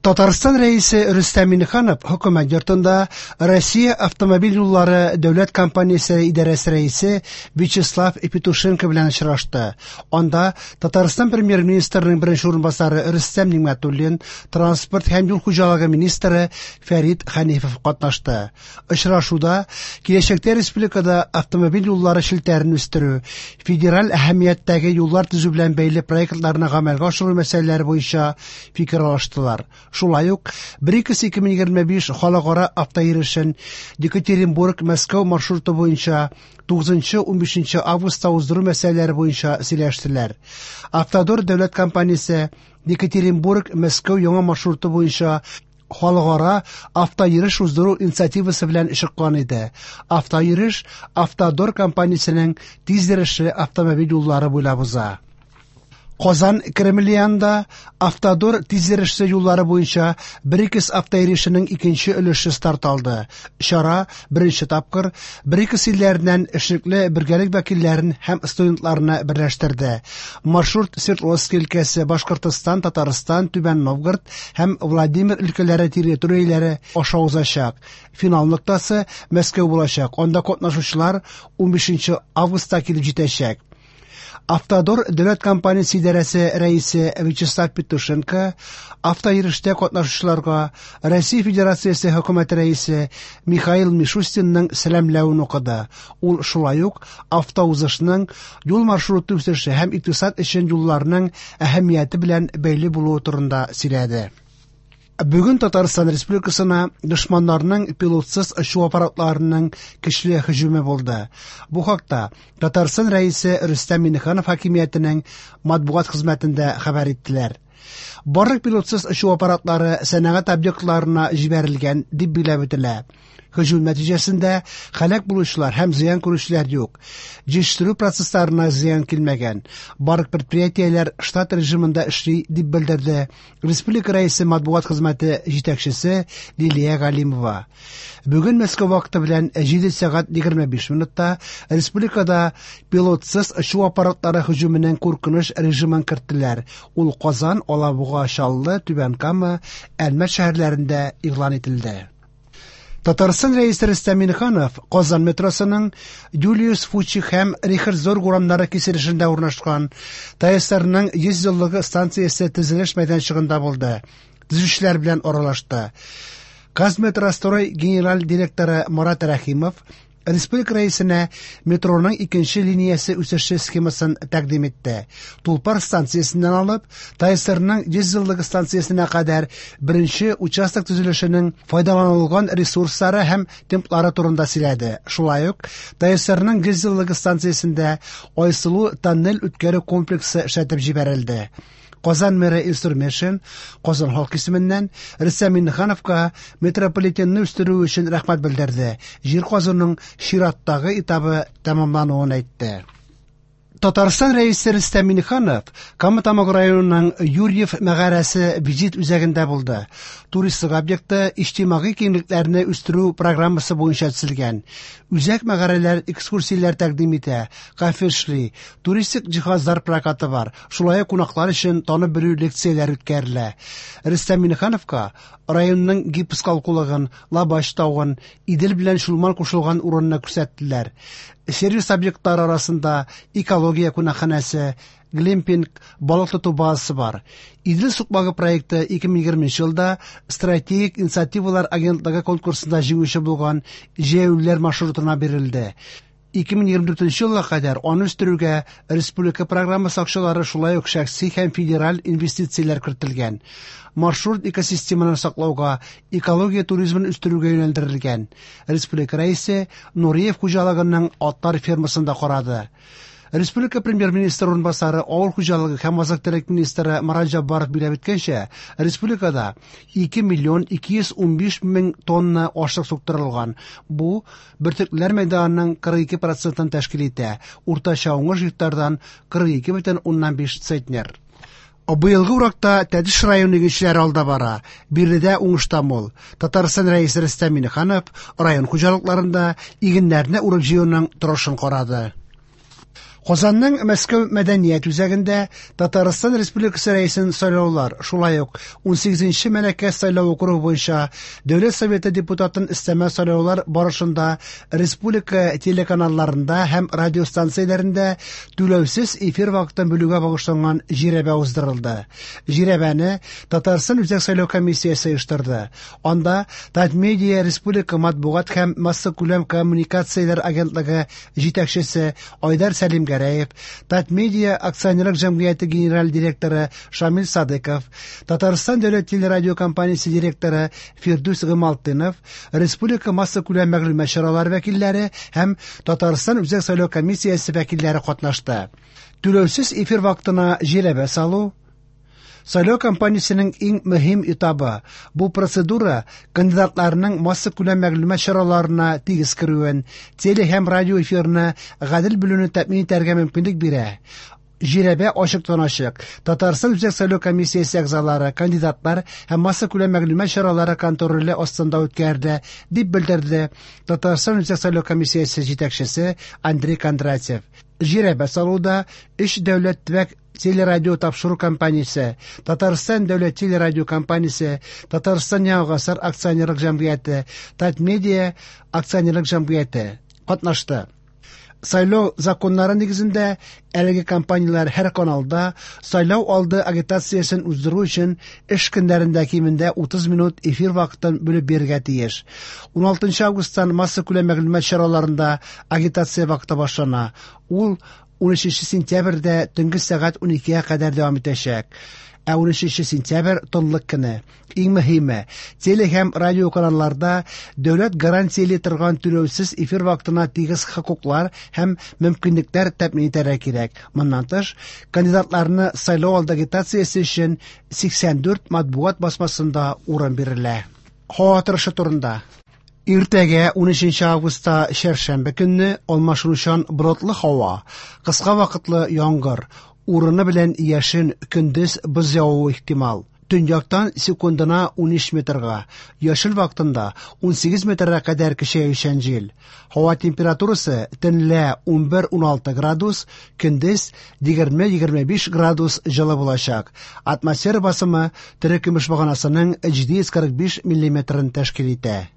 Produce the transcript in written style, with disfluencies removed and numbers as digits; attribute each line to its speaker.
Speaker 1: Татарстан Рәисе Рөстәм Миңнеханов Хөкүмәт йортында Россия автомобиль юллары дәүләт компаниясе идарәсе рәисе Вячеслав Петушенко белән очрашты. Анда Татарстан Премьер-министрының беренче урынбасары Рөстәм Нигъмәтуллин, транспорт һәм юл хуҗалыгы министры Фәрит Хәнифов катнашты. Очрашуда киләчәктә республикада автомобиль юллары челтәрен үстерү, федераль әһәмияттәге юллар төзү белән бәйле проектларны гамәлгә ашыру мәсьәләләре буенча фикер алыштылар. Шулай ук БРИКС 2025 халыкара автойөрешен Екатеринбург-Мәскәү маршруты буенча 9-15 августта уздыру мәсьәләләре буенча сөйләштеләр. Автодор дәүләт компаниясе Екатеринбург-Мәскәү яңа маршруты буенча халыкара автойөреш уздыру инициативасы белән чыккан иде. Автойөреш Автодор компаниясенең тиз йөрешле автомобиль юллары буйлап уза. Казан Кремле янында Автодор тиз йөрешле юллары буенча БРИКС автойөрешенең икенче өлеше старт алды. Чара беренче тапкыр БРИКС илләреннән эшлекле бергәлек вәкилләрен һәм студентларны берләштерде. Маршрут Свердловск өлкәсе, Башкортостан, Татарстан, Түбән Новгород һәм Владимир өлкәләре территорияләре аша узачак. Финал ноктасы Мәскәү булачак. Анда катнашучылар 15 августта килеп җитәчәк. Автодор дәүләт компаниясе идарәсе рәисе Вячеслав Петушенко автойөрештә катнашучыларга Россия Федерациясе хөкүмәте рәисе Михаил Мишустинның сәламләвен укыды. Ул шулай ук автоузышның юл маршруты үсеше һәм икътисад өчен юлларның әһәмияте белән бәйле булуы турында сөйләде. Бүген Татарстан Республикасына дошманнарның пилотсыз очу аппаратларының көчле һөҗүме булды. Бу хакта Татарстан Рәисе Рөстәм Миңнеханов хакимиятенең матбугат хезмәтендә хәбәр иттеләр. Барлык пилотсыз очу аппаратлары сәнәгать объектларына җибәрелгән, дип билгеләп үтелә. Һөҗүм нәтиҗәсендә һәлак булучылар һәм зыян күрүчеләр юк. Җитештерү процессларына зыян килмәгән. Барлык предприятиеләр штат режимында эшли, дип белдерде Республика Рәисе матбугат хезмәте җитәкчесе Лилия Галимова. Бүген Мәскәү вакыты белән 7 сәгать 25 минутта республикада пилотсыз очу аппаратлары һөҗүменең куркыныч режимын керттеләр. Ул Казан, Алабуга, Чаллы, Түбән Кама, Әлмәт шәһәрләрендә игълан ителде. Татарстан Рәисе Рөстәм Миңнеханов Казан метросының Юлиус Фучик һәм Рихард Зорг урамнары киселешендә урнашкан ТАССРның 100 еллыгы станциясе төзелеш мәйданчыгында булды. Төзүчеләр белән аралашты. Казметрострой генераль директоры Марат Рәхимов Республика Рәисенә метроның икенче линиясе үсеше схемасын тәкъдим итте. Тулпар станциясеннән алып, ТАССРның 100 еллыгы станциясенә кадәр беренче участок төзелешенең файдаланылган ресурслары һәм темплары турында сөйләде. Шулай ук ТАССРның 100 еллыгы станциясендә Айсылу тоннель үткәрү комплексы эшләтеп җибәрелде. Казан мэры Илсур Метшин Казан халкы исеменнән Рөстәм Миңнехановка метрополитенны үстерү өчен рәхмәт белдерде. Җир казуның чираттагы этабы тәмамлануын әйтте. Татарстан Рәисе Рөстәм Миңнеханов Кама Тамагы районының Юрьев мәгарәсе визит үзәгендә булды. Туристлык объекты иҗтимагый киңлекләрне үстерү программасы буенча төзелгән. Үзәк мәгарәләр экскурсияләр тәкъдим итә, кафе эшли, туристик җиһазлар прокаты бар. Шулай ук кунаклар өчен танып белү лекцияләре үткәрелә. Рөстәм Миңнехановка районның гипс калкулыгын, Лабач тавын, Идел белән Чулман кушылган урынны күрсәттеләр. Сервис объектлары арасында экология кунакханәсе, глэмпинг, балык тоту базасы бар. Идел сукмагы проекты 2020 елда стратегик инициативалар агентлыгы конкурсында җиңүче булган җәяүлеләр маршрутына бирелде. 2024 елга кадәр аны үстерүгә республика программасы акчалары, шулай ук шәхси һәм федераль инвестицияләр кертелгән. Маршрут экосистеманы саклауга, экология туризмын үстерүгә юнәлдерелгән. Республика Рәисе Нуриев хуҗалыгының атлар фермасын да карады. Республика Премьер-министры урынбасары, авыл хуҗалыгы һәм азык-төлек министры Марат Җәббаров билгеләп үткәнчә, республикада 2 миллион 215 мең тонна ашлык суктырылган. Бу бөртеклеләр мәйданының 42 процентын тәшкил итә. Уртача уңыш гектардан 42,5 центнер. Быелгы уракта Тәтеш районы игенчеләре алда бара. Биредә уңыш та мул. Татарстан Рәисе Рөстәм Миңнеханов район хуҗалыкларында игеннәрне урып-җыюның торышын карады. Казанның Мәскәү мәдәният үзәгендә Татарстан Республикасы Рәисен сайлаулар, шулай ук 18 нче Мәләкәс сайлау округы буенча Дәүләт Советы депутатын өстәмә сайлаулар барышында республика телеканалларында һәм радиостанцияләрендә түләүсез эфир вакытын бүлүгә багышланган жирәбә уздырылды. Жирәбәне Татарстан Үзәк сайлау комиссиясе оештырды. Анда Татмедиа республика матбугат һәм массакүләм коммуникацияләр агентлыгы җитәкчесе Айдар Сәлимгәрәев, Татмедиа акционерлык җәмгыяте генераль директоры Шамил Садыков, Татарстан дәүләт телерадиокомпаниясе директоры Фирдүс Гыймалтдинов, республика массакүләм мәгълүмат чаралары вәкилләре һәм Татарстан Үзәк сайлау комиссиясе вәкилләре катнашты. Түләүсез эфир вакытына жирәбә салу, сайлау кампаниясенең иң мөһим этабы. Бу процедура кандидатларның массакүләм мәгълүмат чараларына тигез керүен, теле һәм радио эфирны гадел бүлүне тәэмин итәргә мөмкинлек бирә. Жирәбә ачыктан-ачык Татарстан Үзәк сайлау комиссиясе әгъзалары, кандидатлар һәм массакүләм мәгълүмат чаралары контроле астында үткәрелә, дип белдерде Татарстан Үзәк сайлау комиссиясе җитәкчесе Андрей Кондратьев. Жирәбә салуда өч дәүләт төбәк телерадио тапшыру компаниясе, Татарстан дәүләт телерадиокомпаниясе, Татарстан Яңа гасыр акционерлык җәмгыяте, Татмедиа акционерлык җәмгыяте катнашты. Сайлау законнары нигезендә әлеге компанияләр һәр каналда сайлау алды агитациясен уздыру өчен эш көннәрендә кимендә 30 минут эфир вакытын бүлеп бирергә тиеш. 16 августтан массакүләм мәгълүмат чараларында агитация вакыты башлана. Ул 13 сентябрьдә төнге сәгать 12-гә кадәр дәвам итәчәк. Ә 13 сентябрь тынлык көне. Иң мөһиме, теле һәм радио каналларда дәүләт гарантияли торган түләүсез эфир вакытына тигез хокуклар һәм мөмкинлекләр тәэмин итәргә кирәк. Моннан тыш, кандидатларны сайлау алды агитациясе өчен 84 матбугат басмасында урын бирелә. Һава торышы турында. Иртәгә 13 августта чәршәмбе көнне алмашынучан болытлы һава, кыска вакытлы яңгыр, урыны белән яшен, көндез боз явуы ихтимал. Төньяктан секундына 13 метрга, яшел вакытында 18 метрга кадәр көчәючән җил. Һава температурасы төнлә 11-16 градус, көндез 20-25 градус җылы булачак. Атмосфера басымы терекөмеш баганасының 745 миллиметрын тәшкил итә.